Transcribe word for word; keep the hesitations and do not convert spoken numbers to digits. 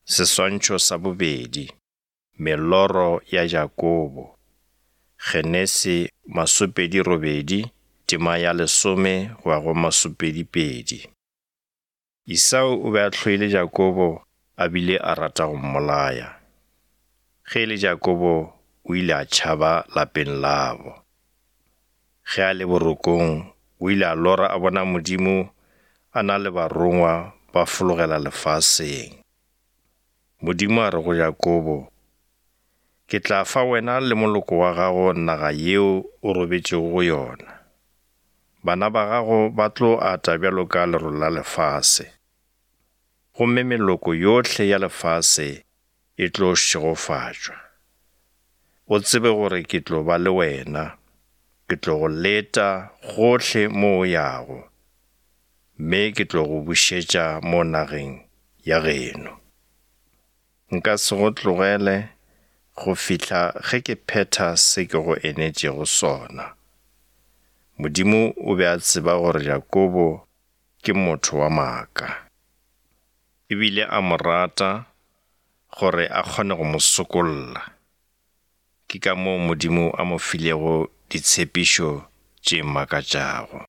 Seswantšho sa bobedi, meloro ya Jakobo. Genesi masopedi robedi, tema ya lesome go ya go masopedi pedi. Esau o be a hloile Jakobo a bile a rata go mmolaya. Ge e le Jakobo o ile a tšhaba lapeng labo. Ge a le borokong o ile a lora a bona Modimo a na le barongwa ba fologela lefaseng. Modimo a re go Jakobo, ke tla fa wena le moloko wa gago naga yeo o robetšego go yona. Bana ba gago ba tlo ata bjalo ka lerole la lefase, gomme meloko yohle ya lefase e tlo šegofatšwa. O tsebe gore ke tlo ba le wena, ke tlo go leta gohle mo o yago, mme ke tlo go bušetša mo nageng ya geno. Nka se go tlogele go fihla ge ke phetha se ke go enetšego sona. Modimo o be a tseba gore Jakobo ke motho wa maaka, ebile a mo rata gore a kgone go mo sokolla. Ke ka moo Modimo a mo filego ditshepišo tše makatšago.